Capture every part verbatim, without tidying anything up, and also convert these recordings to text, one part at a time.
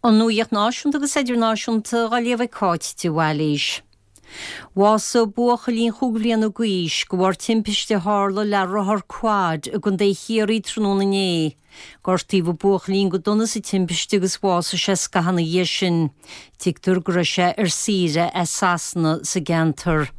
An nuacht náisiúnta agus idirnáisiúnta á léamh ag Cáit de Bhailís. Bhásaigh buachaillín chúig bhliana d'aois de bharr timpiste a tharla le rothar quad i gContae Chiarraí tráthnóna inné. Gortaíodh an buachaillín go dona sa timpiste agus bhásaigh sé scaitheamh ina dhiaidh sin. Tuigtear go raibh sé ar saoire as Sasana sa gceantar.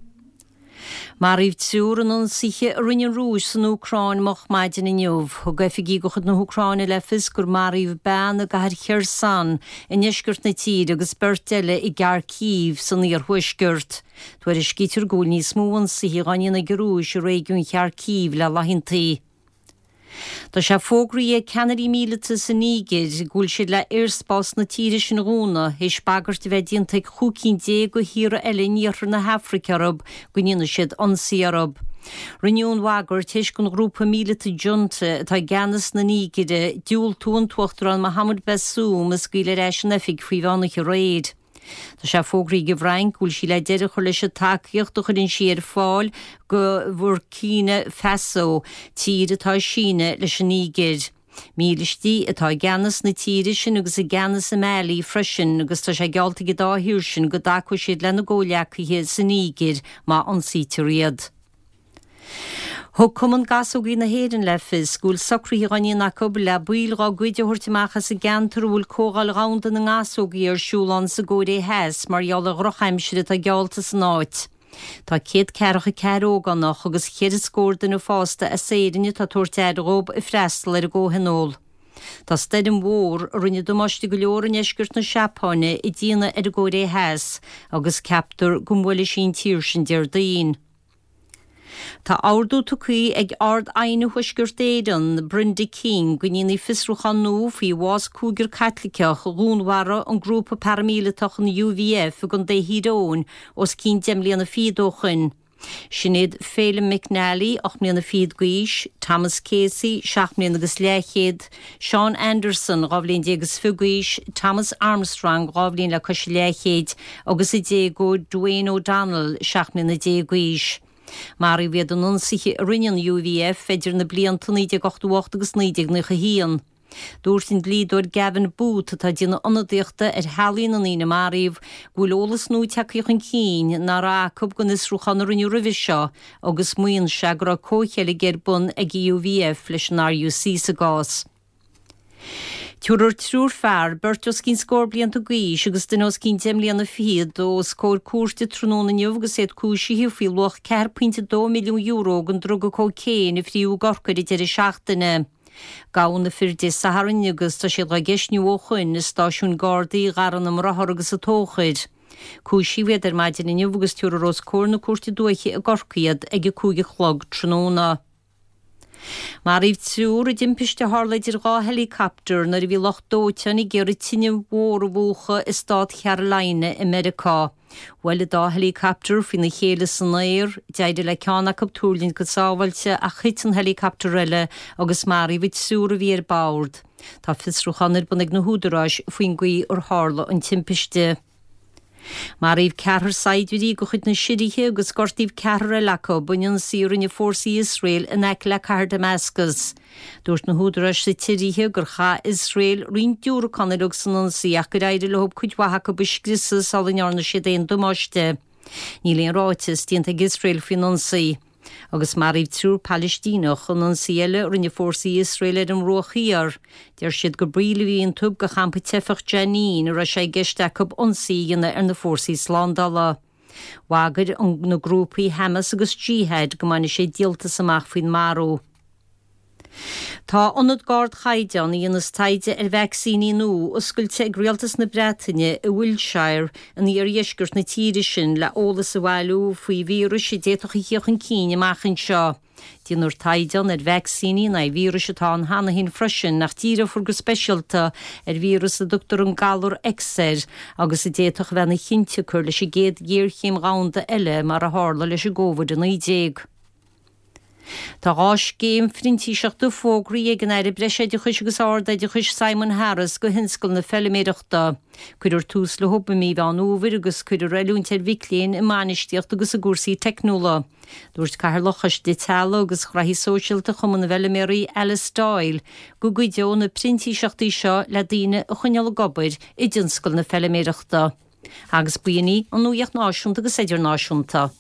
Maraíodh triúr in ionsaithe a rinne an Rúis san Úcráin moch maidin inniu. Thug oifigigh de chuid na hÚcráine le fios gur maraíodh bean i gcathair Kherson i ndeisceart na tíre agus beirt eile i gCarcív san iarthuaisceart. Tuairiscítear go bhfuil níos mó ionsaithe á ndéanamh ag an Rúis i réigiún Charcív le laethanta. Tá sé fógraithe ag ceannairí míleata sa Nígir go bhfuil siad le aerspás na tíre sin a dhúnadh théis bagairt a bheith déanta ag chúig cinn déag de thíortha eile in iarthar na hAfraice orthu go ndéanfaidh siad ionsaí orthu. Rinneadh an bhagairt théis don ghrúpa míleata junta atá i gceannas na Nígire diúltú an tUachtarán Mohamed Bazoum a scaoileadh ar ais in oifig faoi mheán oíche aréir. Tá sé fógraithe ag an bhFrainc go bhfuil sí le deireadh a chur leis an tacaíocht a chuireann sí ar fáil go Burkina Faso, tír atá ag síneadh leis an Nígir. Mílístí atá i gceannas na tíre sin agus i gceannas i Mali freisin agus tá sé geallta ag an dá thír sin go dtacóidh siad lena gcomhghleacaithe sa Nígir má ionsaítear iad. Thug Cumann Gasógaí na hÉireann le fios go bhfuil socruithe á ndéanamh acu le baill dá gcuid a thabhairt amach as an gceantar a bhfuil Comhdháil Dhomhanda na nGasógaí ar siúl ann sa gCóiré Theas mar gheall ar dhrochaimsir atá geallta san áit. Tá céad ceathracha ceathair ógánach agus ceithre scór duine fásta as Éirinn atá ag tabhairt aire dóibh ag freastal ar an gcomhthionól. Tá stoirm mhór a rinne damáiste go leor i ndeisceart na Seapáine ag déanamh ar an gCóiré Theas agus ceaptar go mbuailfidh sí an tír sin Déardaoin. Tá ordú tugtha ag Ard-Aighne Thuaisceart Éireann, Brenda King, go ndéanfaí fiosrúchán nua faoi bhás cúigear Caitliceach a dhúnmharaigh an grúpa paraimíleatach an UVF i gContae Thír Eoghain os cionn deich mbliana fichead ó shin. Sin iad Phelim McNally, ocht mbliana fichead d'aois, Thomas Casey, seacht mbliana agus leathchéad, Sean Anderson, dhá bhliain déag is fiche d'aois, Thomas Armstrong, dhá bhliain le cois leathchéid, agus a déagóir Dwayne O'Donnell, seacht mbliana déag d'aois. Maraíodh iad in ionsaithe a rinne an UVF idir na blianta naoi déag ochtó ocht agus naoi déag nócha haon. Dúirt an dlíodóir Gavin Booth atá ag déanamh ionadaíochta ar theaghlaigh na ndaoine a maraíodh go bhfuil eolas nua tagtha chun cinn nach raibh acu den fhiosrúchán a rinneadh roimhe seo agus maíonn sé go raibh comhcheilg ar bun ag UVF leis an RUC sa gcás. Tabharfar triúr fear, beirt os cionn scór blianta d'aois agus duine os cionn deich mbliana fichead os comhair cúirte tráthnóna inniu agus iad cúisithe faoi luach ceathair pointe dó milliún euro den druga cócaon a fríodh i gCorcaigh ar an deireadh seachtaine. Gabhadh na fir Dé Sathairn agus tá siad á gceistniú ó shoin i stáisiún Gardaí Gharraí na mBráthar agus an Tóchair. Cúisíodh iad ar maidin inniu agus tabharfar os comhair na cúirte dúiche i gCorcaigh iad ag a cúig a chlog tráthnóna. Maraíodh triúr i dtimpiste a tharla idir dhá helicopter nuair a bhí lucht dóiteáin ag iarraidh tine mhór a mhúchadh i stát Carolina i Meiriceá. Bhuail an dá helicopter faoina chéile san aer, d'éirigh le ceann acu tuirlingt go sábháilte ach thit an helicopter eile agus maraíodh an triúr a bhí ar bord. Tá fiosrúchán ar bun ag na húdaráis faoin gcaoi ar tharla an timpiste. Maraíodh ceathrar saighdiúirí de chuid na Siria agus gortaíodh ceathrar eile acu in ionsaí a rinne fórsaí Iosrael in aice le cathair Damascus. Dúirt na húdaráis sa tSiria gur chaith Iosrael roinnt diúracán uilig san ionsaí ach gur éirigh leo cuid mhaith acu a scriosadh sula ndearna siad aon damáiste. Níl aon ráiteas déanta ag Iosrael faoin ionsaí. Agus maraíodh triúr Palaistíneach in ionsaí eile a rinne fórsaí Iosrael ar an mBruach Thiar. Deir siad gur baill a bhí iontu de champa teifeach Jenin a raibh sé i gceist acu ionsaí a dhéanamh ar na fórsaí slándála. Bhagair na grúpaí Hamas agus Jihad go mbainfidh siad díoltas amach faoin marú. Tá ionad d'ardchaighdeán a dhéanas taighde ar vacsaíní nua oscailte ag rialtas na Breataine i Wiltshire in iardheisceart na tíre sin le eolas a bhailiú faoi víris a d'fhéadfadh a theacht chun cinn amach anseo. Déanfar taighde ar vacsaíní in aghaidh víris atá ann cheana féin freisin ach díreofar go speisialta ar víreas a dtugtar an galar X air agus a d'fhéadfadh a bheith ina chionsiocair leis an gcéad ghéarchéim dhomhanda eile mar a tharla leis an gCovid a naoi déag. Tá dhá scéim phrintíseachta fógraithe ag an Aire Breisoideachais agus Ardoideachais Simon Harris do thionscal na feilméarachta. Cuirfear tús leo i mí Mheán Fhómhair agus cuirfear oiliúint ar mhic léinn i mbainistíocht agus i gcúrsaí teicniúla. Dúirt Cathaoirleach Choiste Teaghlaigh agus Gnóthaí Sóisialta Chumann na bhFeilméaraí Alice Doyle go gcuideoidh na printíseachtaí seo le daoine a choinneáil ag obair i dtionscal na feilméarachta. Agus b'in í an nuacht náisiúnta agus idirnáisiúnta.